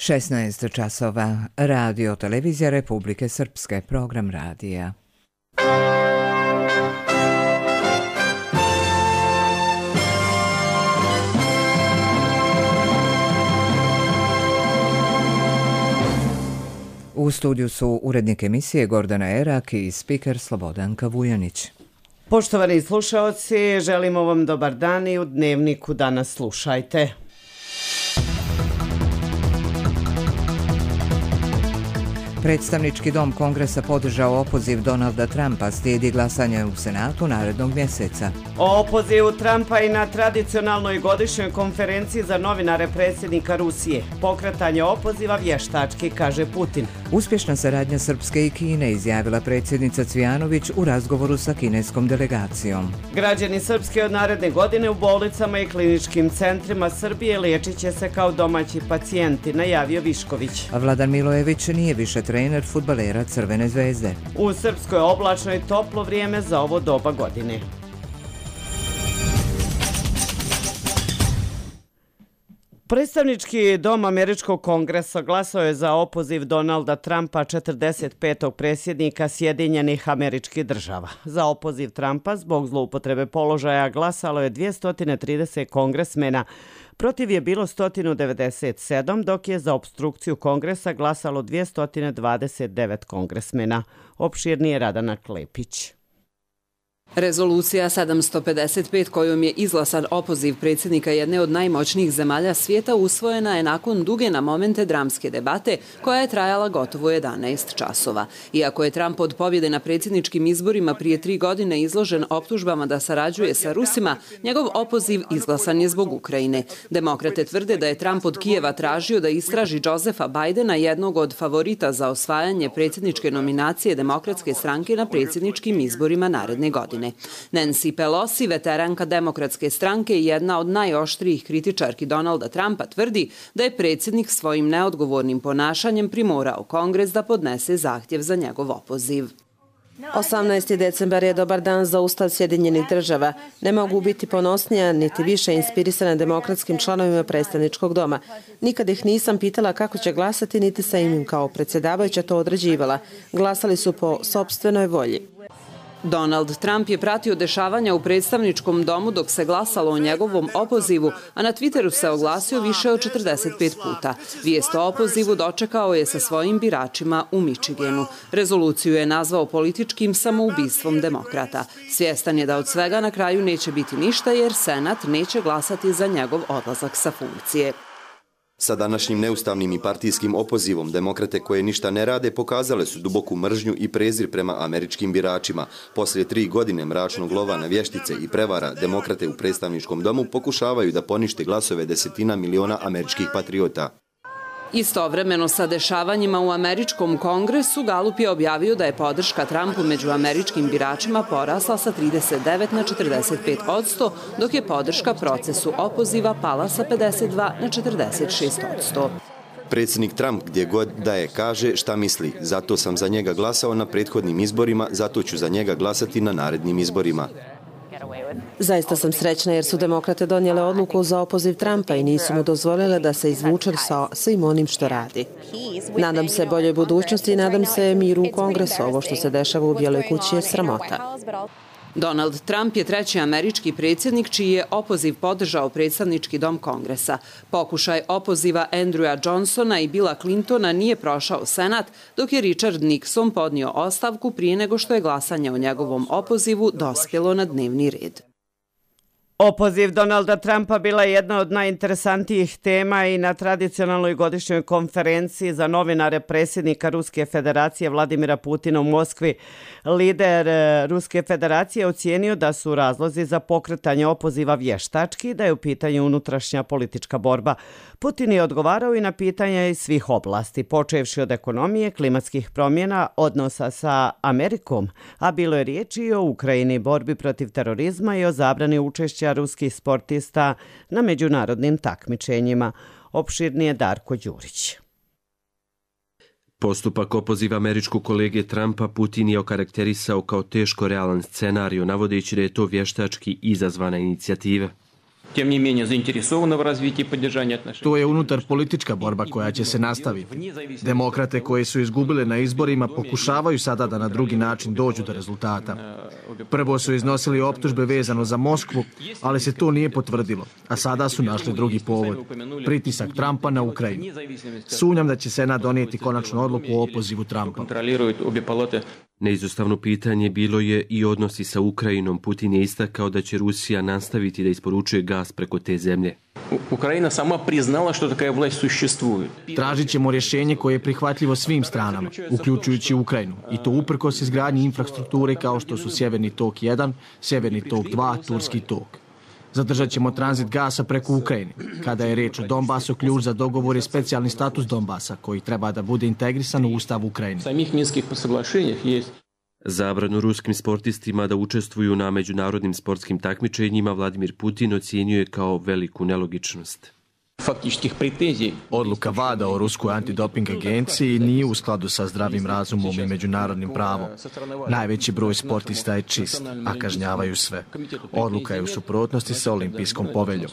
16 časova. Radio Televizija Republike Srpske. Program radija. U studiju su urednik emisije Gordana Erak i spiker Slobodanka Vujanić. Poštovani slušaoci, želimo vam dobar dan i u Dnevniku danas slušajte. Predstavnički dom Kongresa podržao opoziv Donalda Trumpa, slijedi glasanje u Senatu narednog mjeseca. O opozivu Trumpa i na tradicionalnoj godišnjoj konferenciji za novinare predsjednika Rusije. Pokretanje opoziva vještački, kaže Putin. Uspješna saradnja Srpske i Kine, izjavila predsjednica Cvijanović u razgovoru sa kineskom delegacijom. Građani Srpske od naredne godine u bolnicama i kliničkim centrima Srbije liječit će se kao domaći pacijenti, najavio Višković. Vladan Milojević nije više trener fudbalera Crvene zvezde. U Srpskoj oblačno i toplo vrijeme za ovo doba godine. Predstavnički dom Američkog kongresa glasao je za opoziv Donalda Trumpa, 45. predsjednika Sjedinjenih Američkih Država. Za opoziv Trumpa zbog zloupotrebe položaja glasalo je 230 kongresmena. Protiv je bilo 197, dok je za opstrukciju kongresa glasalo 229 kongresmena. Opširnije Radana Klepić. Rezolucija 755 kojom je izglasan opoziv predsjednika jedne od najmoćnijih zemalja svijeta usvojena je nakon duge na momente dramske debate koja je trajala gotovo 11 časova. Iako je Trump od pobjede na predsjedničkim izborima prije 3 godine izložen optužbama da sarađuje sa Rusima, njegov opoziv izglasan je zbog Ukrajine. Demokrate tvrde da je Trump od Kijeva tražio da istraži Josepha Bidena, jednog od favorita za osvajanje predsjedničke nominacije Demokratske stranke na predsjedničkim izborima naredne godine. Nancy Pelosi, veteranka Demokratske stranke i jedna od najoštrijih kritičarki Donalda Trumpa, tvrdi da je predsjednik svojim neodgovornim ponašanjem primorao Kongres da podnese zahtjev za njegov opoziv. 18. decembar je dobar dan za Ustav Sjedinjenih Država. Ne mogu biti ponosnija niti više inspirisana demokratskim članovima predstavničkog doma. Nikad ih nisam pitala kako će glasati, niti sam im kao predsjedavajuća to određivala. Glasali su po sopstvenoj volji. Donald Trump je pratio dešavanja u predstavničkom domu dok se glasalo o njegovom opozivu, a na Twitteru se oglasio više od 45 puta. Vijest o opozivu dočekao je sa svojim biračima u Michiganu. Rezoluciju je nazvao političkim samoubistvom demokrata. Svjestan je da od svega na kraju neće biti ništa jer Senat neće glasati za njegov odlazak sa funkcije. Sa današnjim neustavnim i partijskim opozivom, demokrate koje ništa ne rade pokazale su duboku mržnju i prezir prema američkim biračima. Poslije 3 godine mračnog lova na vještice i prevara, demokrate u predstavničkom domu pokušavaju da ponište glasove desetina miliona američkih patriota. Istovremeno sa dešavanjima u američkom kongresu, Galup je objavio da je podrška Trumpu među američkim biračima porasla sa 39 na 45%, dok je podrška procesu opoziva pala sa 52 na 46%. Predsjednik Trump gdje god da je kaže šta misli. Zato sam za njega glasao na prethodnim izborima, zato ću za njega glasati na narednim izborima. Zaista sam srećna jer su demokrate donijele odluku za opoziv Trumpa i nisu mu dozvolile da se izvuče sa svim onim što radi. Nadam se boljoj budućnosti i nadam se miru u Kongresu. Ovo što se dešava u Bijeloj kući je sramota. Donald Trump je treći američki predsjednik čiji je opoziv podržao predstavnički dom Kongresa. Pokušaj opoziva Andrewa Johnsona i Billa Clintona nije prošao Senat, dok je Richard Nixon podnio ostavku prije nego što je glasanje o njegovom opozivu dospjelo na dnevni red. Opoziv Donalda Trumpa bila je jedna od najinteresantijih tema i na tradicionalnoj godišnjoj konferenciji za novinare predsjednika Ruske federacije Vladimira Putina u Moskvi. Lider Ruske federacije ocijenio da su razlozi za pokretanje opoziva vještački i da je u pitanju unutrašnja politička borba. Putin je odgovarao i na pitanja iz svih oblasti, počevši od ekonomije, klimatskih promjena, odnosa sa Amerikom, a bilo je riječi i o Ukrajini, borbi protiv terorizma i o zabrani učešća ruskih sportista na međunarodnim takmičenjima. Opširnije Darko Đurić. Postupak opoziva američkog kolege Trumpa Putin je okarakterisao kao teško realan scenarij, navodeći da je to vještački izazvana inicijativa. To je unutar politička borba koja će se nastaviti. Demokrate koje su izgubile na izborima pokušavaju sada da na drugi način dođu do rezultata. Prvo su iznosili optužbe vezano za Moskvu, ali se to nije potvrdilo, a sada su našli drugi povod. Pritisak Trumpa na Ukrajinu. Sumnjam da će Senat donijeti konačnu odluku o opozivu Trumpa. Neizostavno pitanje bilo je i odnosi sa Ukrajinom. Putin je istakao da će Rusija nastaviti da isporučuje gas preko te zemlje. Ukrajina sama priznala što takva vlast sуществует. Tražit ćemo rješenje koje je prihvatljivo svim stranama, uključujući Ukrajinu, i to uprkos izgradnji infrastrukture kao što su Sjeverni tok 1, Sjeverni tok 2, Turski tok. Zadržat ćemo tranzit gasa preko Ukrajine. Kada je reč o Donbasu, ključ za dogovor je specijalni status Donbasa, koji treba da bude integrisan u Ustav Ukrajine. Samih minskih соглашениях есть Zabranu ruskim sportistima da učestvuju na međunarodnim sportskim takmičenjima Vladimir Putin ocjenjuje kao veliku nelogičnost. фактических претензий. Odluka VADA o ruskoj antidoping agenciji nije u skladu sa zdravim razumom i međunarodnim pravom. Najveći broj sportista je čist, a kažnjavaju sve. Odluka je u suprotnosti sa olimpijskom poveljom.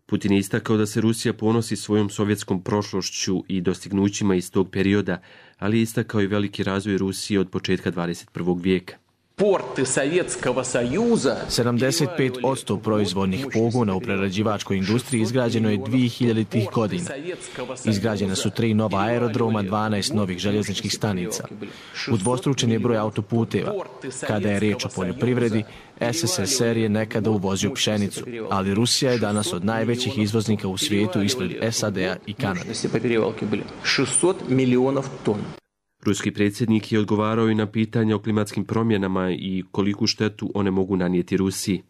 Putin je istakao da se Rusija ponosi svojom sovjetskom prošlošću i dostignućima iz tog perioda, ali je istakao i veliki razvoj Rusije od početka 21. vijeka. 75% proizvodnih pogona u prerađivačkoj industriji izgrađeno je 2000-ih godina. Izgrađena su 3 nova aerodroma, 12 novih željezničkih stanica. Udvostručen je broj autoputeva. Kada je riječ o poljoprivredi, SSSR je nekada uvozio pšenicu, ali Rusija je danas od najvećih izvoznika u svijetu ispred SAD-a i Kanade. 600 milijonov ton. Ruski predsjednik je odgovarao i na pitanja o klimatskim promjenama i koliku štetu one mogu nanijeti Rusiji.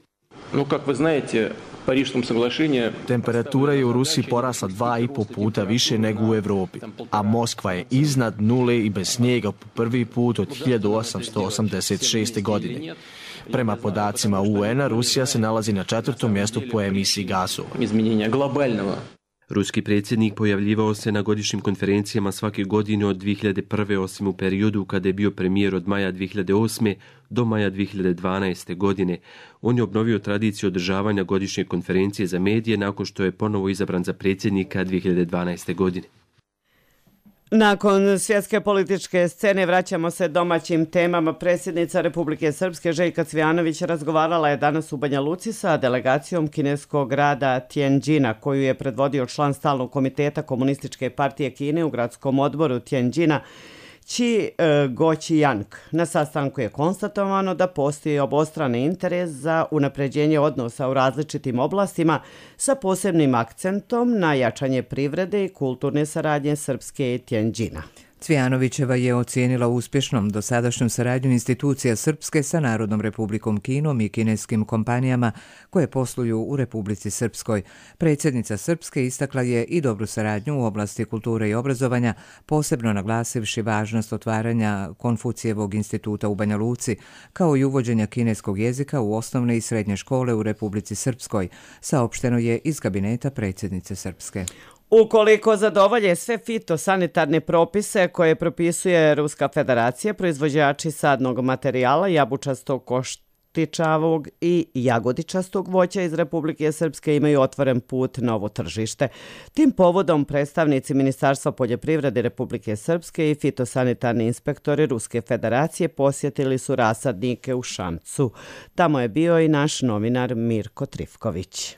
Как вы знаете, Pariškom соглашению temperatura je u Rusiji porasla 2,5 puta više nego u Evropi, a Moskva je iznad nule i bez snijega po prvi put od 1886. godine. Prema podacima UN-a, Rusija se nalazi na 4. mjestu po emisiji gasova. Izmjenjenja globalnog. Ruski predsjednik pojavljivao se na godišnjim konferencijama svake godine od 2001. osim u periodu kada je bio premijer od maja 2008. do maja 2012. godine. On je obnovio tradiciju održavanja godišnje konferencije za medije nakon što je ponovo izabran za predsjednika 2012. godine. Nakon svjetske političke scene vraćamo se domaćim temama. Predsjednica Republike Srpske Željka Cvijanović razgovarala je danas u Banja Luci sa delegacijom kineskog grada Tianjina, koju je predvodio član stalnog komiteta Komunističke partije Kine u gradskom odboru Tianjina Chi Guoqiang. Na sastanku je konstatovano da postoji obostrani interes za unapređenje odnosa u različitim oblastima sa posebnim akcentom na jačanje privrede i kulturne saradnje Srpske i Tianjina. Cvijanovićeva je ocijenila uspješnom dosadašnju saradnju institucija Srpske sa Narodnom Republikom Kinom i kineskim kompanijama koje posluju u Republici Srpskoj. Predsjednica Srpske istakla je i dobru saradnju u oblasti kulture i obrazovanja, posebno naglasivši važnost otvaranja Konfucijevog instituta u Banja Luci, kao i uvođenja kineskog jezika u osnovne i srednje škole u Republici Srpskoj, saopšteno je iz kabineta predsjednice Srpske. Ukoliko zadovolje sve fitosanitarne propise koje propisuje Ruska federacija, proizvođači sadnog materijala, jabučastog, koštičavog i jagodičastog voća iz Republike Srpske imaju otvoren put na ovo tržište. Tim povodom predstavnici Ministarstva poljoprivrede Republike Srpske i fitosanitarni inspektori Ruske federacije posjetili su rasadnike u Šamcu. Tamo je bio i naš novinar Mirko Trifković.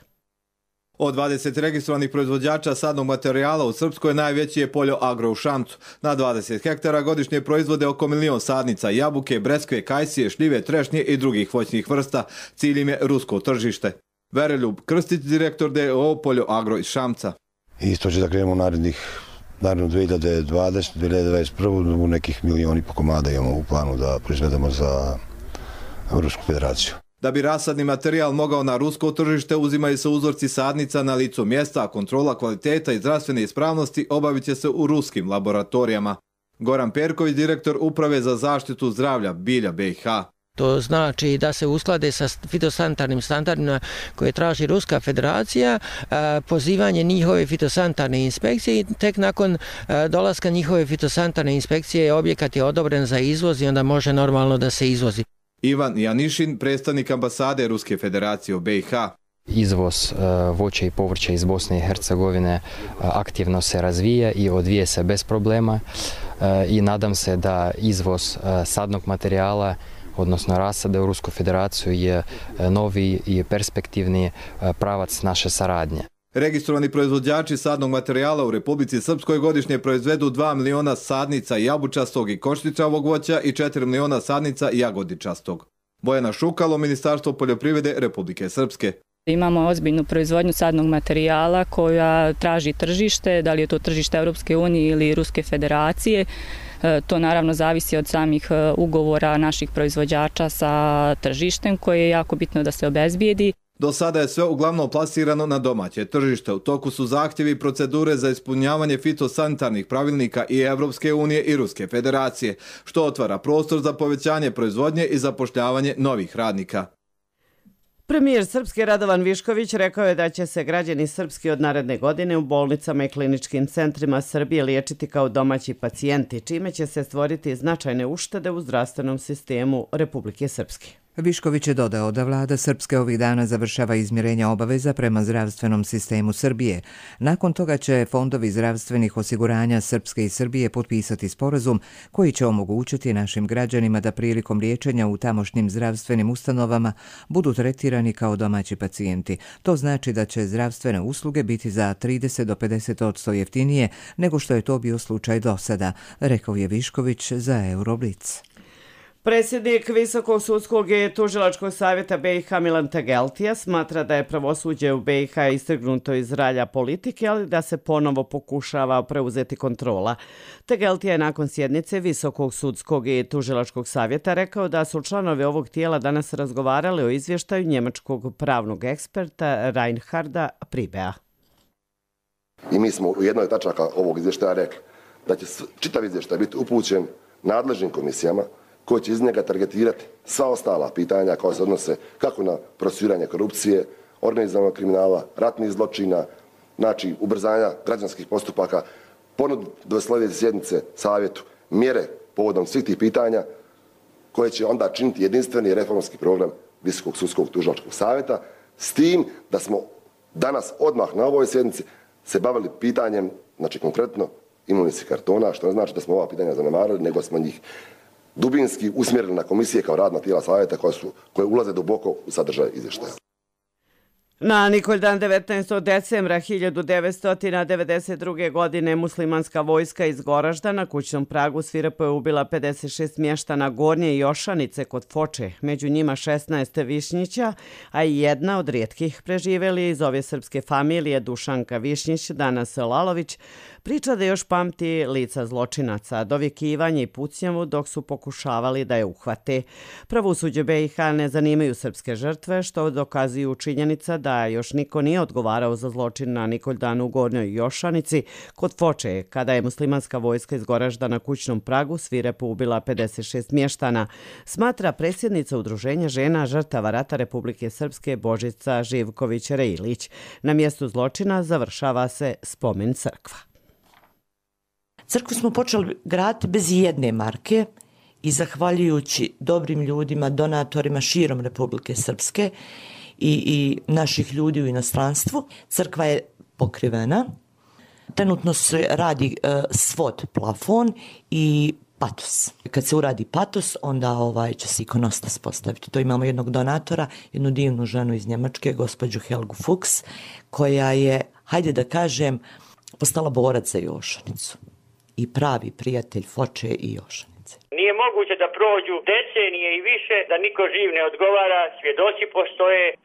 Od 20 registrovanih proizvođača sadnog materijala u Srpskoj najveći je Poljo Agro u Šamcu. Na 20 hektara godišnje proizvode oko 1 milion sadnica, jabuke, breskve, kajsije, šljive, trešnje i drugih voćnih vrsta. Cilj im je rusko tržište. Vereljub Krstić, direktor DOO Poljo Agro iz Šamca. Isto će da krenemo u narednu 2020-2021 u nekih 1,5 miliona komada imamo u planu da proizvedemo za Rusku federaciju. Da bi rasadni materijal mogao na rusko tržište, uzimaju se uzorci sadnica na licu mjesta, a kontrola kvaliteta i zdravstvene ispravnosti obavit će se u ruskim laboratorijama. Goran Perković, direktor Uprave za zaštitu zdravlja bilja BiH. To znači da se usklade sa fitosanitarnim standardima koje traži Ruska federacija, pozivanje njihove fitosanitarne inspekcije i tek nakon dolaska njihove fitosanitarne inspekcije objekat je odobren za izvoz i onda može normalno da se izvozi. Ivan Janišin, predstavnik ambasade Ruske federacije u BiH. Izvoz voća i povrća iz Bosne i Hercegovine aktivno se razvija i odvija se bez problema i nadam se da izvoz sadnog materijala, odnosno rasade u Rusku federaciju, je novi i perspektivni pravac naše saradnje. Registrovani proizvođači sadnog materijala u Republici Srpskoj godišnje proizvedu 2 miliona sadnica jabučastog i koštičavog voća i 4 miliona sadnica jagodičastog. Bojana Šukalo, Ministarstvo poljoprivrede Republike Srpske. Imamo ozbiljnu proizvodnju sadnog materijala koja traži tržište, da li je to tržište Europske unije ili Ruske federacije. To naravno zavisi od samih ugovora naših proizvođača sa tržištem koje je jako bitno da se obezbijedi. Do sada je sve uglavnom plasirano na domaće tržište. U toku su zahtjevi i procedure za ispunjavanje fitosanitarnih pravilnika i Evropske unije i Ruske federacije, što otvara prostor za povećanje proizvodnje i zapošljavanje novih radnika. Premijer Srpske Radovan Višković rekao je da će se građani srpski od naredne godine u bolnicama i kliničkim centrima Srbije liječiti kao domaći pacijenti, čime će se stvoriti značajne uštede u zdravstvenom sistemu Republike Srpske. Višković je dodao da vlada Srpske ovih dana završava izmjerenja obaveza prema zdravstvenom sistemu Srbije. Nakon toga će fondovi zdravstvenih osiguranja Srpske i Srbije potpisati sporazum koji će omogućiti našim građanima da prilikom liječenja u tamošnjim zdravstvenim ustanovama budu tretirani kao domaći pacijenti. To znači da će zdravstvene usluge biti za 30 do 50% jeftinije nego što je to bio slučaj do sada, rekao je Višković za Euroblic. Predsjednik Visokog sudskog i tužilačkog savjeta BiH Milan Tegeltija smatra da je pravosuđe u BiH istrgnuto iz ralja politike, ali da se ponovo pokušava preuzeti kontrola. Tegeltija je nakon sjednice Visokog sudskog i tužilačkog savjeta rekao da su članovi ovog tijela danas razgovarali o izvještaju njemačkog pravnog eksperta Reinharda Pribea. I mi smo u jednoj tačaka ovog izvještaja rekli da će čitav izvještaj biti upućen nadležnim komisijama koji će iz njega targetirati sva ostala pitanja koja se odnose kako na procesuiranje korupcije, organizovanog kriminala, ratnih zločina, znači ubrzanja građanskih postupaka, ponudu do sljedeće sjednice savjetu, mjere povodom svih tih pitanja koje će onda činiti jedinstveni reformski program Visokog sudskog tužilačkog savjeta, s tim da smo danas odmah na ovoj sjednici se bavili pitanjem, znači konkretno imovinskih kartona, što ne znači da smo ova pitanja zanemarili, nego smo njih dubinski usmjerili na komisije kao radna tijela savjeta koje ulaze duboko u sadržaj izvještaja. Na Nikoldan 19. decembra 1992. godine muslimanska vojska iz Goražda na kućnom pragu svirepo je ubila 56 mještana Gornje Jošanice kod Foče, među njima 16 Višnjića, a i jedna od rijetkih preživjeli iz ove srpske familije Dušanka Višnjić, danas Lalović, priča da još pamti lica zločinaca, dovikivanje i pucnjavu dok su pokušavali da je uhvate. Pravosuđe BiH ne zanimaju srpske žrtve, što dokazuju činjenica da još niko nije odgovarao za zločin na Nikoldanu u Gornjoj Jošanici kod Foče, kada je muslimanska vojska iz Goražda na kućnom pragu svirepo ubila 56 mještana, smatra predsjednica Udruženja žena žrtava rata Republike Srpske Božica Živković-Reilić. Na mjestu zločina završava se spomen crkva. Crkvu smo počeli graditi bez jedne marke i zahvaljujući dobrim ljudima, donatorima širom Republike Srpske i naših ljudi u inostranstvu. Crkva je pokrivena. Trenutno se radi svod plafon i patos. Kad se uradi patos, onda će se ikonostas postaviti. To imamo jednog donatora, jednu divnu ženu iz Njemačke, gospođu Helgu Fuchs, koja je, hajde da kažem, postala borac za Jošanicu i pravi prijatelj Foče i Jošanice. Nije moguće da prođu decenije i više da niko živ ne odgovara, svjedoci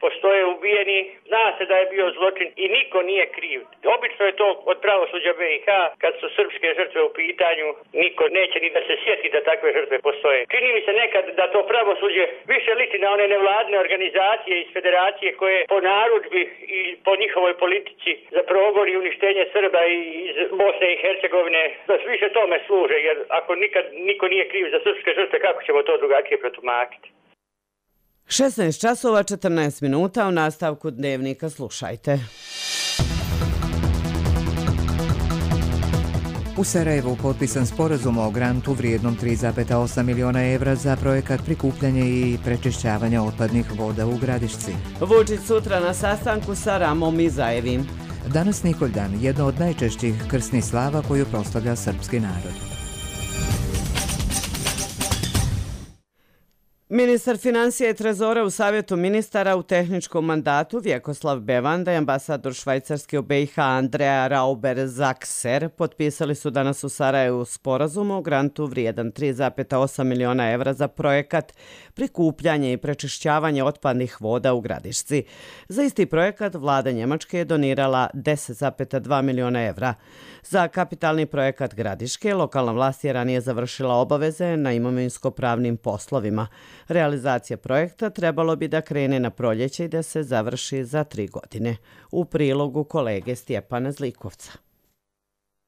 postoje ubijeni, zna se da je bio zločin i niko nije kriv. Obično je to od pravosuđa BiH, kad su srpske žrtve u pitanju, niko neće ni da se sjeti da takve žrtve postoje. Čini mi se nekad da to pravosuđe više liči na one nevladne organizacije iz federacije koje po narudžbi i po njihovoj politici za progon i uništenje Srba iz Bosne i Hercegovine, da više tome služe, jer ako nikad niko nije kriv za srpske žrtve, kako ćemo to drugačije protumačiti? 16 časova 14 minuta, u nastavku dnevnika slušajte. U Sarajevu potpisan sporazum o grantu vrijednom 3,8 miliona evra za projekat prikupljanja i prečišćavanja otpadnih voda u Gradišci. Vučić sutra na sastanku sa Ramom Izajevim. Danas Nikoldan, jedno od najčešćih krsnih slava koju proslavlja srpski narod. Ministar financija i trezora u Savjetu ministara u tehničkom mandatu Vjekoslav Bevanda i ambasador Švajcarske u BiH Andrea Rauber-Zakser potpisali su danas u Sarajevu sporazum o grantu vrijedan 3,8 miliona evra za projekat prikupljanje i prečišćavanje otpadnih voda u Gradišci. Za isti projekat vlada Njemačke je donirala 10,2 miliona evra. Za kapitalni projekat Gradiške lokalna vlast je ranije završila obaveze na imovinsko-pravnim poslovima. Realizacija projekta trebalo bi da krene na proljeće i da se završi za 3 godine. U prilogu kolege Stjepana Zlikovca.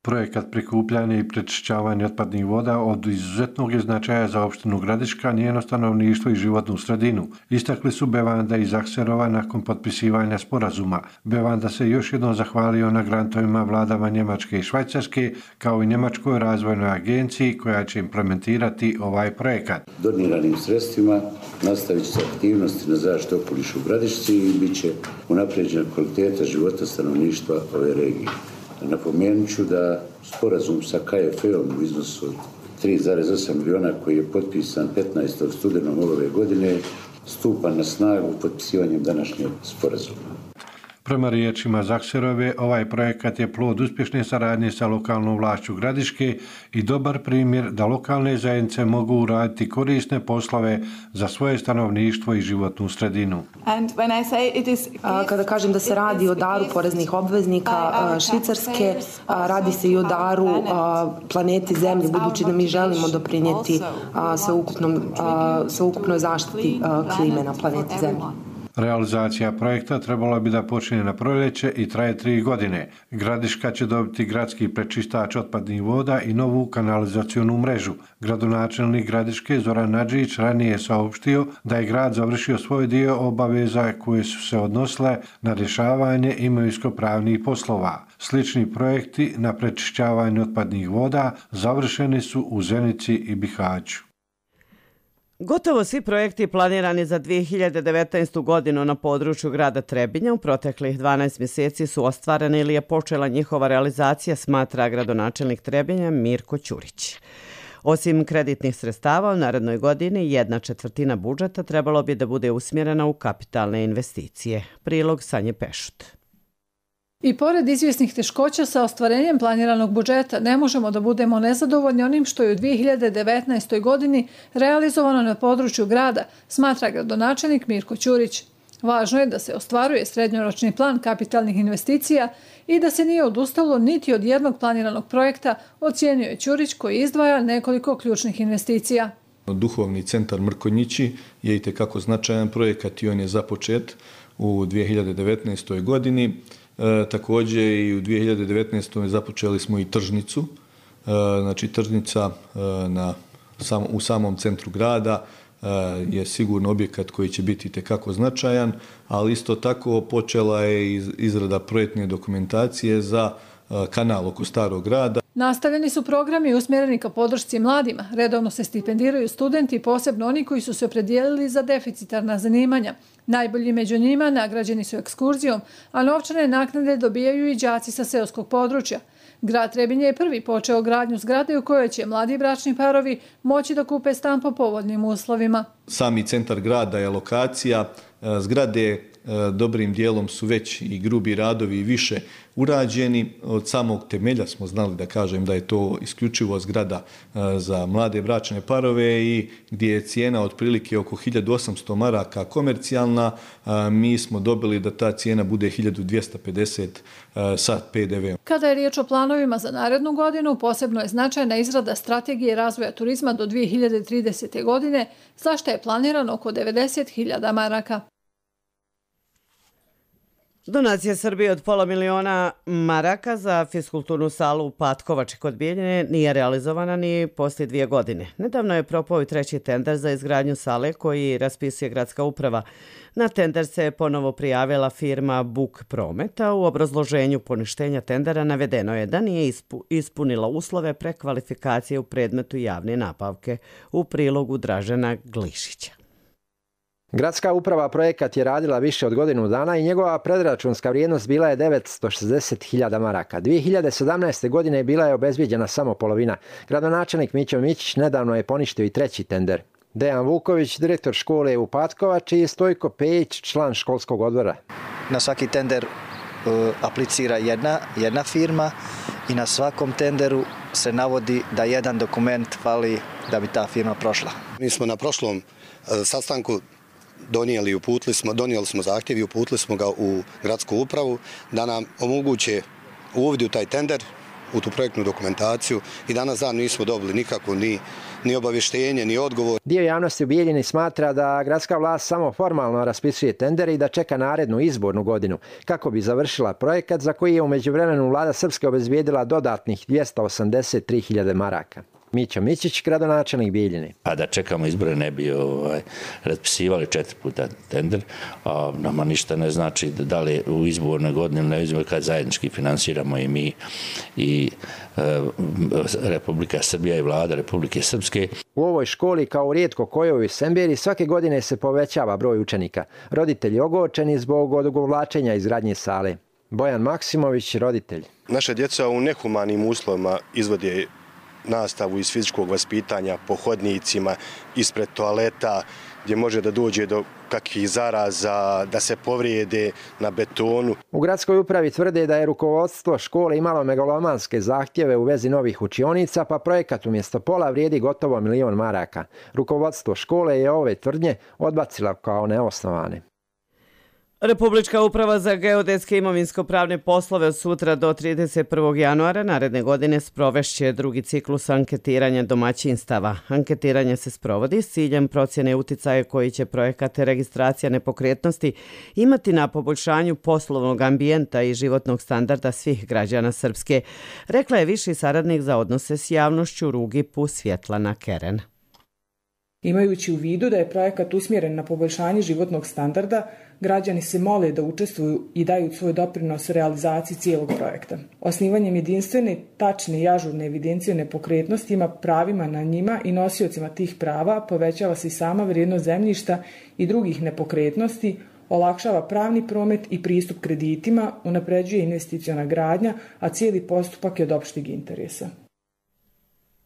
Projekat prikupljanja i prečišćavanja otpadnih voda od izuzetnog je značaja za opštinu Gradiška, njeno stanovništvo i životnu sredinu. Istakli su Bevanda i Zakserova nakon potpisivanja sporazuma. Bevanda se još jednom zahvalio na grantovima vladama Njemačke i Švajcarske, kao i Njemačkoj razvojnoj agenciji koja će implementirati ovaj projekat. Doniranim sredstvima nastavit će se aktivnosti na zaštitu okoliša u Gradišci i bit će unapređena kvaliteta života stanovništva ove regije. Napomenut ću da sporazum sa KFE-om u iznosu od 3,8 miliona koji je potpisan 15. studenog ove godine stupa na snagu potpisivanjem današnjeg sporazuma. Prema riječima Zakserove, ovaj projekat je plod uspješne saradnje sa lokalnom vlašću Gradiške i dobar primjer da lokalne zajednice mogu uraditi korisne poslove za svoje stanovništvo i životnu sredinu. Kada kažem da se radi o daru poreznih obveznika Švicarske, radi se i o daru planeti Zemlji, budući da mi želimo doprinijeti sveukupnoj zaštiti klime na planeti Zemlji. Realizacija projekta trebala bi da počne na proljeće i traje 3 godine. Gradiška će dobiti gradski prečistač otpadnih voda i novu kanalizacionu mrežu. Gradonačelnik Gradiške Zoran Nadžić ranije je saopštio da je grad završio svoj dio obaveza koje su se odnosile na rješavanje imovinsko-pravnih poslova. Slični projekti na prečišćavanje otpadnih voda završeni su u Zenici i Bihaću. Gotovo svi projekti planirani za 2019. godinu na području grada Trebinja u proteklih 12 mjeseci su ostvareni ili je počela njihova realizacija, smatra gradonačelnik Trebinja Mirko Ćurić. Osim kreditnih sredstava, u narednoj godini 1/4 budžeta trebalo bi da bude usmjerena u kapitalne investicije. Prilog Sanje Pešut. I pored izvjesnih teškoća sa ostvarenjem planiranog budžeta, ne možemo da budemo nezadovoljni onim što je u 2019. godini realizovano na području grada, smatra gradonačelnik Mirko Ćurić. Važno je da se ostvaruje srednjoročni plan kapitalnih investicija i da se nije odustalo niti od jednog planiranog projekta, ocijenio je Ćurić koji izdvaja nekoliko ključnih investicija. Duhovni centar Mrkonjići je itekako značajan projekat i on je započet u 2019. godini. Također i u 2019. započeli smo i tržnicu, znači tržnica u samom centru grada je sigurno objekat koji će biti itekako značajan, ali isto tako počela je izrada projektne dokumentacije za kanal oko Starog grada. Nastavljeni su programi usmjereni ka podršci mladima. Redovno se stipendiraju studenti, posebno oni koji su se opredijelili za deficitarna zanimanja. Najbolji među njima nagrađeni su ekskurzijom, a novčane naknade dobijaju i đaci sa seoskog područja. Grad Trebinje je prvi počeo gradnju zgrade u kojoj će mladi bračni parovi moći da kupe stan po povoljnim uslovima. Sami centar grada je lokacija zgrade. Dobrim dijelom su već i grubi radovi i više urađeni. Od samog temelja smo znali da kažem da je to isključivo zgrada za mlade bračne parove i gdje je cijena otprilike oko 1800 maraka komercijalna. Mi smo dobili da ta cijena bude 1250 sa PDV-om. Kada je riječ o planovima za narednu godinu, posebno je značajna izrada strategije razvoja turizma do 2030. godine, za što je planirano oko 90.000 maraka. Donacija Srbije od $500.000 za fiskulturnu salu u Patkovači kod Bijeljine nije realizovana ni poslije 2 godine. Nedavno je propao i 3. tender za izgradnju sale koji raspisuje gradska uprava. Na tender se ponovo prijavila firma Buk Prometa. U obrazloženju poništenja tendera navedeno je da nije ispunila uslove prekvalifikacije u predmetu javne nabavke, u prilogu Dražena Glišića. Gradska uprava projekat je radila više od godinu dana i njegova predračunska vrijednost bila je 960.000 maraka. 2017. godine bila je obezbijeđena samo polovina. Gradonačelnik Mićo Mićić nedavno je poništio i 3. tender. Dejan Vuković, direktor škole u Patkovači, i Stojko Pejić, član školskog odbora. Na svaki tender aplicira jedna firma i na svakom tenderu se navodi da jedan dokument fali da bi ta firma prošla. Mi smo na prošlom sastanku donijeli smo zahtjev i uputili smo ga u gradsku upravu da nam omoguće uvid u taj tender, u tu projektnu dokumentaciju, i danas dan nismo dobili nikako ni obavještenje, ni odgovor. Dio javnosti u Bijeljini smatra da gradska vlast samo formalno raspisuje tender i da čeka narednu izbornu godinu kako bi završila projekat za koji je u međuvremenu vlada Srpske obezbijedila dodatnih 283.000 maraka. Mićo Mićić, gradonačelnik Bijeljine. A da čekamo izbore ne bi raspisivali 4 puta tender, a nama ništa ne znači da li u izbornoj godini ne izbor kad zajednički finansiramo i mi i Republika Srbija i vlada Republike Srpske. U ovoj školi, kao u rijetko kojoj u Semberi, svake godine se povećava broj učenika. Roditelji ogorčeni zbog odugovlačenja izgradnje sale. Bojan Maksimović, roditelj. Naša djeca u nehumanim uslovima izvode nastavu iz fizičkog vaspitanja po hodnicima, ispred toaleta, gdje može da dođe do kakvih zaraza, da se povrijede na betonu. U gradskoj upravi tvrde da je rukovodstvo škole imalo megalomanske zahtjeve u vezi novih učionica, pa projekat umjesto pola vrijedi gotovo 1 milion maraka. Rukovodstvo škole je ove tvrdnje odbacila kao neosnovane. Republička uprava za geodetske imovinsko-pravne poslove od sutra do 31. januara naredne godine sprovešće drugi ciklus anketiranja domaćinstava. Anketiranje se sprovodi s ciljem procjene uticaja koji će projekat registracija nepokretnosti imati na poboljšanju poslovnog ambijenta i životnog standarda svih građana Srpske, rekla je viši saradnik za odnose s javnošću Rugipu Svjetlana Keren. Imajući u vidu da je projekat usmjeren na poboljšanje životnog standarda, građani se mole da učestvuju i daju svoj doprinos realizaciji cijelog projekta. Osnivanjem jedinstvene, tačne i ažurne evidencije o nepokretnostima, pravima na njima i nosiocima tih prava povećava se i sama vrijednost zemljišta i drugih nepokretnosti, olakšava pravni promet i pristup kreditima, unapređuje investiciona gradnja, a cijeli postupak je od opšteg interesa.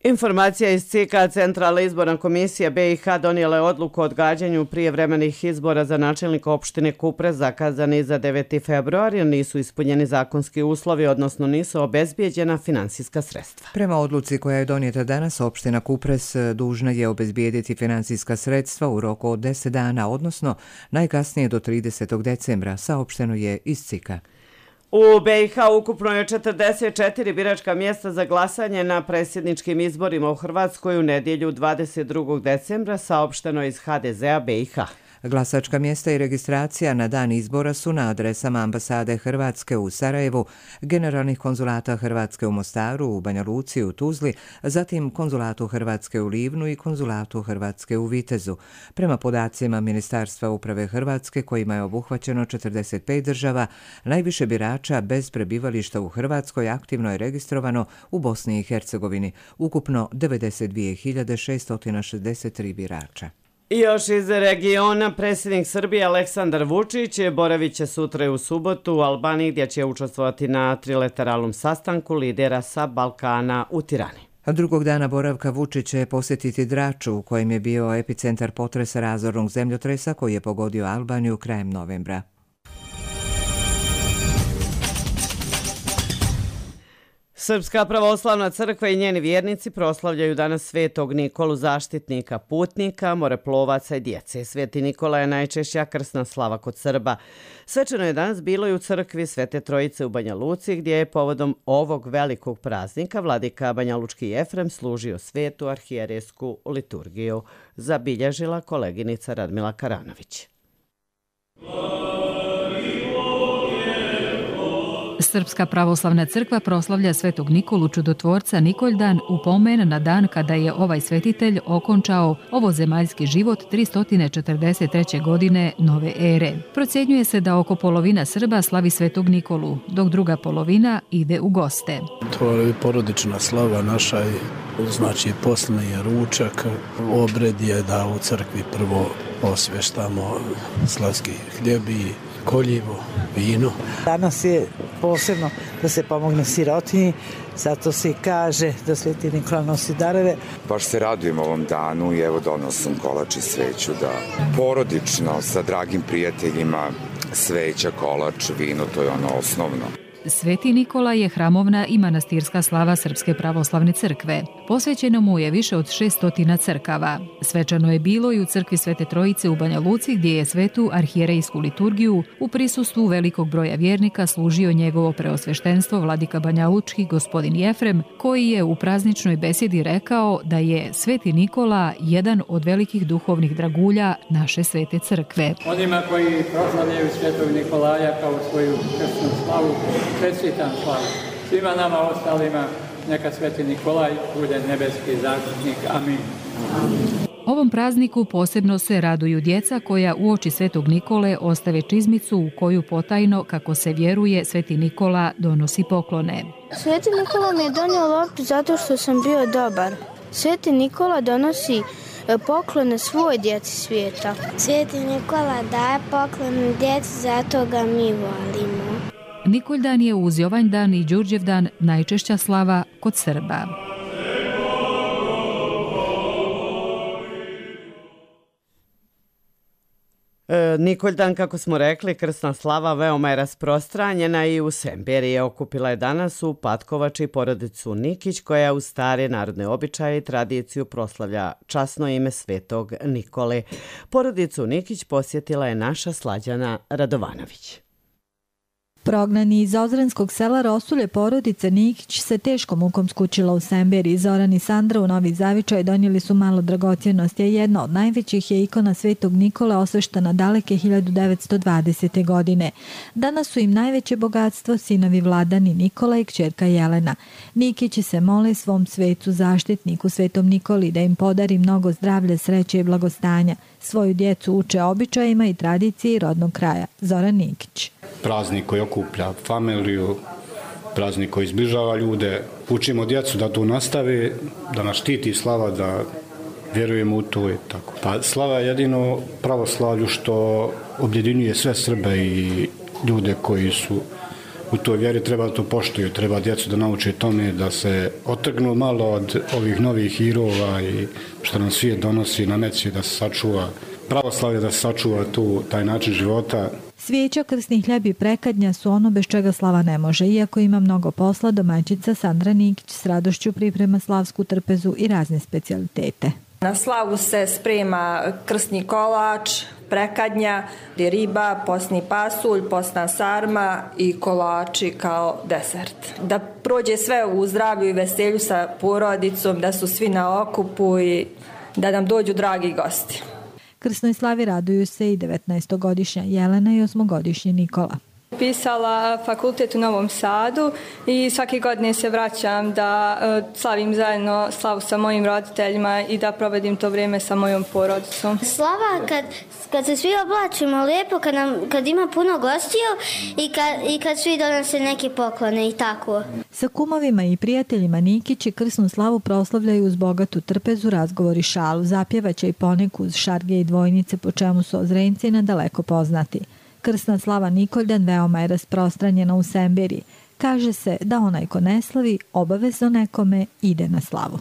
Informacija iz CIK-a Centralna izborna komisija BiH donijela je odluku o odgađanju prijevremenih izbora za načelnika opštine Kupres zakazani za 9. februar jer nisu ispunjeni zakonski uslovi, odnosno nisu obezbijeđena finansijska sredstva. Prema odluci koja je donijeta danas, opština Kupres dužna je obezbijediti finansijska sredstva u roku od 10 dana, odnosno najkasnije do 30. decembra, saopšteno je iz CIK-a. U BiH ukupno je 44 biračka mjesta za glasanje na predsjedničkim izborima u Hrvatskoj u nedjelju 22. decembra, saopšteno iz HDZ-a BiH. Glasačka mjesta i registracija na dan izbora su na adresama ambasade Hrvatske u Sarajevu, generalnih konzulata Hrvatske u Mostaru, u Banja Luci, u Tuzli, zatim konzulatu Hrvatske u Livnu i konzulatu Hrvatske u Vitezu. Prema podacima Ministarstva uprave Hrvatske, kojima je obuhvaćeno 45 država, najviše birača bez prebivališta u Hrvatskoj aktivno je registrovano u Bosni i Hercegovini, ukupno 92.663 birača. I još iz regiona, predsjednik Srbije Aleksandar Vučić boravit će sutra i u subotu u Albaniji gdje će učestvovati na trilateralnom sastanku lidera sa Balkana u Tirani. Drugog dana boravka Vučić će posjetiti Draču u kojem je bio epicentar potresa razornog zemljotresa koji je pogodio Albaniju krajem novembra. Srpska pravoslavna crkva i njeni vjernici proslavljaju danas Svetog Nikolu, zaštitnika putnika, moreplovaca i djece. Sveti Nikola je najčešća krsna slava kod Srba. Svečano je danas bilo i u crkvi Svete Trojice u Banja Luci, gdje je povodom ovog velikog praznika vladika Banjalučki Jefrem služio svetu arhijerejsku liturgiju, zabilježila koleginica Radmila Karanović. Srpska pravoslavna crkva proslavlja Svetog Nikolu Čudotvorca Nikoljdan u pomen na dan kada je ovaj svetitelj okončao ovozemaljski život 343. godine nove ere. Procjenjuje se da oko polovina Srba slavi Svetog Nikolu, dok druga polovina ide u goste. To je porodična slava naša, znači poslani je ručak, obred je da u crkvi prvo osveštamo slavski hljeb i koljivo, vino. Danas je posebno da se pomogne sirotinji, zato se kaže da Sveti Nikola nosi dareve. Baš se radujem ovom danu i evo donosim kolač i sveću da porodično sa dragim prijateljima sveća, kolač, vino, to je ono osnovno. Sveti Nikola je hramovna i manastirska slava Srpske pravoslavne crkve. Posvećeno mu je više od 600 crkava. Svečano je bilo i u crkvi Svete Trojice u Banja Luci, gdje je svetu arhijerejsku liturgiju u prisustvu velikog broja vjernika služio njegovo preosveštenstvo vladika Banja Lučki gospodin Jefrem, koji je u prazničnoj besjedi rekao da je Sveti Nikola jedan od velikih duhovnih dragulja naše svete crkve. Onima koji proslavljaju Svetog Nikolaja kao svoju krsnu slavu, čestitam slavu. Svima nama ostalima neka Sveti Nikolaj bude nebeski zaštitnik. Amin. Ovom prazniku posebno se raduju djeca koja uoči Svetog Nikole ostave čizmicu u koju potajno, kako se vjeruje, Sveti Nikola donosi poklone. Sveti Nikola mi je donio loptu zato što sam bio dobar. Sveti Nikola donosi poklone svoj djeci svijeta. Sveti Nikola daje poklone djeci, zato ga mi volimo. Nikoljdan je uz Jovanjdan i Đurđevdan najčešća slava kod Srba. Nikoljdan, kako smo rekli, krsna slava veoma je rasprostranjena i u Semberiji. Okupila je danas u Patkovači porodicu Nikić, koja u stare narodne običaje i tradiciju proslavlja časno ime Svetog Nikole. Porodicu Nikić posjetila je naša Slađana Radovanović. Prognani iz Ozrenskog sela Rosulje porodica Nikić se teškom mukom skućila u Semberiji. Zoran i Sandra u Novi Zavičaj donijeli su malo dragocjenosti, a jedna od najvećih je ikona Svetog Nikole osveštena daleke 1920. godine. Danas su im najveće bogatstvo sinovi Vladan i Nikola i kćerka Jelena. Nikići se mole svom svecu zaštitniku Svetom Nikoli da im podari mnogo zdravlja, sreće i blagostanja. Svoju djecu uče običajima i tradiciji rodnog kraja. Zoran Nikić. Praznik koji okuplja familiju, praznik koji izbližava ljude. Učimo djecu da to nastave, da nas štiti slava, da vjerujemo u to i tako. Pa slava je jedino pravoslavlju što objedinjuje sve Srbe i ljude koji su u toj vjeri, treba da to poštuju, treba djecu da nauče tome, da se otrgnu malo od ovih novih hirova i što nam svijet donosi, nameće da se sačuva pravoslavlje, da se sačuva taj način života. Svijeća, krsni hljeb i prekadnja su ono bez čega slava ne može. Iako ima mnogo posla, domaćica Sandra Nikić s radošću priprema slavsku trpezu i razne specijalitete. Na slavu se sprema krsni kolač, prekadnja, riba, posni pasulj, posna sarma i kolači kao desert. Da prođe sve u zdravlju i veselju sa porodicom, da su svi na okupu i da nam dođu dragi gosti. Krsnoj slavi raduju se i 19-godišnja Jelena i 8-godišnji Nikola. Pisala fakultet u Novom Sadu i svake godine se vraćam da slavim zajedno slavu sa mojim roditeljima i da provedim to vrijeme sa mojom porodicom. Slava kad se svi oblačimo lijepo, kad ima puno gostiju i kad svi donose neke poklone i tako. Sa kumovima i prijateljima Nikići krsnu slavu proslavljaju uz bogatu trpezu, razgovor i šalu. Zapjevaće i poneku uz šarge i dvojnice, po čemu su Ozrenci nadaleko poznati. Krsna slava Nikoljdan veoma je rasprostranjena u Semberiji. Kaže se da onaj ko ne slavi, obavezno nekome ide na slavu.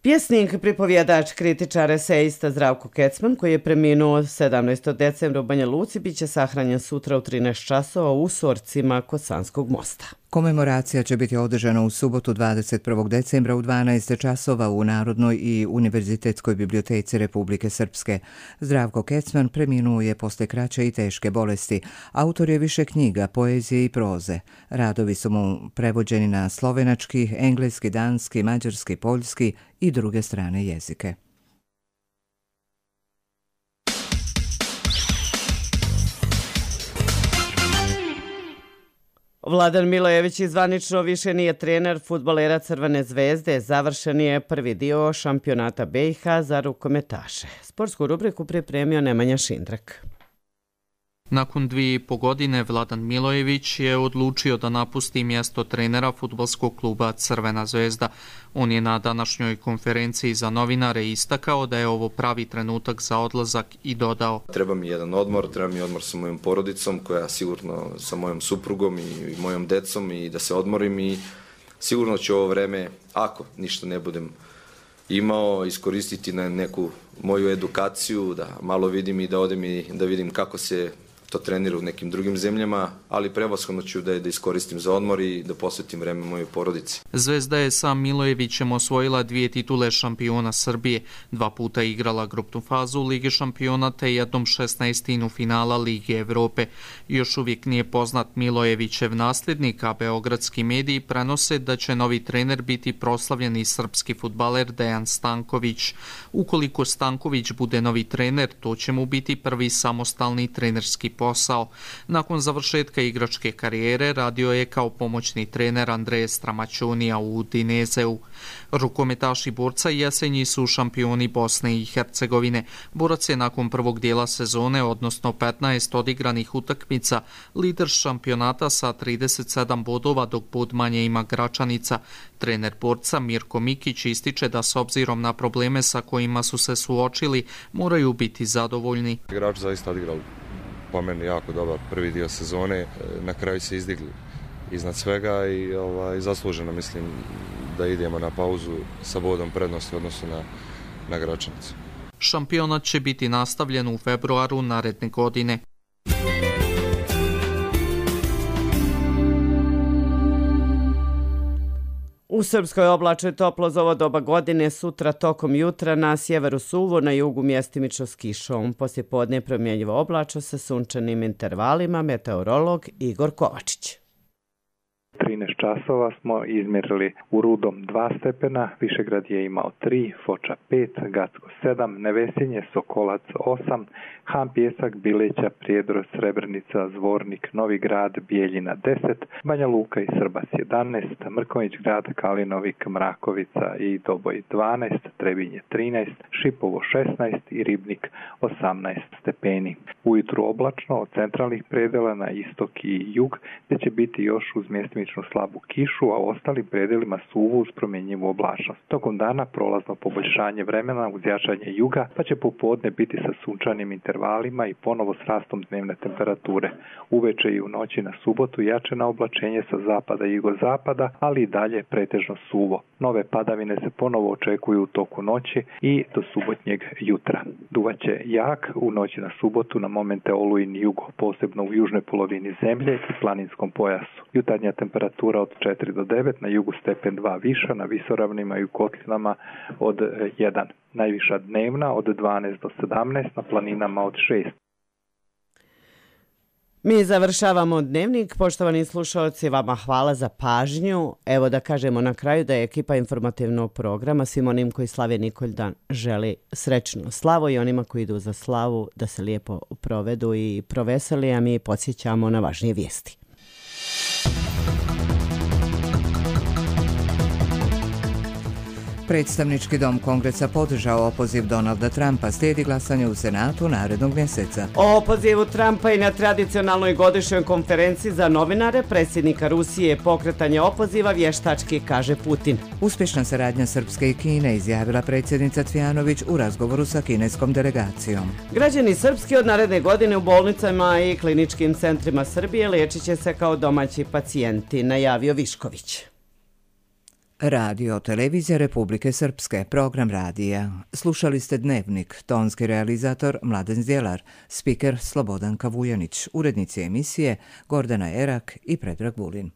Pjesnik, pripovjedač, kritičar, esejista Zdravko Kecman, koji je preminuo 17. decembra u Banja Luci, bit će sahranjen sutra u 13 časova u Sorcima kod Sanskog mosta. Komemoracija će biti održana u subotu 21. decembra u 12 časova u Narodnoj i Univerzitetskoj biblioteci Republike Srpske. Zdravko Kecman preminuo je posle kraće i teške bolesti. Autor je više knjiga, poezije i proze. Radovi su mu prevođeni na slovenački, engleski, danski, mađarski, poljski i druge strane jezike. Vladan Milojević zvanično više nije trener fudbalera Crvene zvezde. Završen je prvi dio šampionata BiH za rukometaše. Sportsku rubriku pripremio Nemanja Šindrak. Nakon 2,5 godine Vladan Milojević je odlučio da napusti mjesto trenera fudbalskog kluba Crvena zvezda. On je na današnjoj konferenciji za novinare istakao da je ovo pravi trenutak za odlazak i dodao: Treba mi jedan odmor, treba mi odmor sa mojom porodicom, koja sigurno sa mojom suprugom i mojom decom, i da se odmorim, i sigurno ću ovo vreme, ako ništa ne budem imao, iskoristiti na neku moju edukaciju, da malo vidim i da odem i da vidim kako se to trenira u nekim drugim zemljama, ali prevashodno ću da iskoristim za odmor i da posvetim vreme mojoj porodici. Zvezda je sa Milojevićem osvojila 2 titule šampiona Srbije, 2 puta igrala grupnu fazu Lige šampiona te jednom 16. finala Lige Evrope. Još uvijek nije poznat Milojevićev nasljednik, a beogradski mediji prenose da će novi trener biti proslavljeni srpski fudbaler Dejan Stanković. Ukoliko Stanković bude novi trener, to će mu biti prvi samostalni trenerski posao. Nakon završetka igračke karijere radio je kao pomoćni trener Andreje Stramaćonija u Udinezeu. Rukometaši Borca i Jesenji su šampioni Bosne i Hercegovine. Borac je nakon prvog dijela sezone, odnosno 15 odigranih utakmica, lider šampionata sa 37 bodova, dok bod manje ima Gračanica. Trener Borca Mirko Mikić ističe da s obzirom na probleme sa kojima su se suočili, moraju biti zadovoljni. Igrač zaista odigrali po meni jako dobar prvi dio sezone, na kraju se izdigli iznad svega i zasluženo mislim da idemo na pauzu sa bodom prednosti u odnosu na Gračanicu. Šampionat će biti nastavljen u februaru naredne godine. U Srpskoj oblačno je toplo za ovo doba godine, sutra tokom jutra na sjeveru suvo, na jugu mjestimično s kišom. Poslije podne promjenjivo oblačno sa sunčanim intervalima, meteorolog Igor Kovačić. 13 časova smo izmjerili u Rudom 2 stepena, Višegrad je imao 3, Foča 5, Gacko 7, Nevesinje, Sokolac 8, Han Pjesak, Bileća, Prijedor, Srebrenica, Zvornik, Novi Grad, Bijeljina 10, Banja Luka i Srbas 11, Mrkonjić Grad, Kalinovik, Mrakovica i Doboj 12, Trebinje 13, Šipovo 16 i Ribnik 18 stepeni. Ujutru oblačno od centralnih predela na istok i jug, gdje će biti još uz mjestimičnu slabu kišu, a u ostalim predelima suvo uz promjenjivu oblačnost. Tokom dana prolazno poboljšanje vremena uz jačanje juga, pa će popodne biti sa sunčanim intervalima i ponovo s rastom dnevne temperature. Uveče i u noći na subotu jačena oblačenje sa zapada i jugozapada, ali i dalje pretežno suvo. Nove padavine se ponovo očekuju u toku noći i do subotnjeg jutra. Duvaće jak u noći na subotu na momente olujni jugo, posebno u južnoj polovini zemlje i planinskom pojasu. Jutarnja temperatura od 4 do 9, na jugu stepen 2 viša, na visoravnima i u kotlinama od 1. Najviša dnevna od 12 do 17, na planinama od 6. Mi završavamo dnevnik. Poštovani slušalci, vama hvala za pažnju. Evo da kažemo na kraju da je ekipa informativnog programa svim onim koji slave Nikoldan želi srećnu slavu i onima koji idu za slavu da se lijepo provedu i proveseli, a mi podsjećamo na važnije vijesti. Predstavnički dom Kongresa podržao opoziv Donalda Trumpa, slijedi glasanje u Senatu narednog mjeseca. O opozivu Trumpa i na tradicionalnoj godišnjoj konferenciji za novinare predsjednika Rusije pokretanje opoziva vještački, kaže Putin. Uspješna saradnja Srpske i Kine, izjavila predsjednica Cvjanović u razgovoru sa kineskom delegacijom. Građani Srpski od naredne godine u bolnicama i kliničkim centrima Srbije liječit će se kao domaći pacijenti, najavio Višković. Radio Televizija Republike Srpske, program radija. Slušali ste Dnevnik, tonski realizator Mladen Zdjelar, spiker Slobodan Kavujanić, urednici emisije Gordana Erak i Predrag Vulin.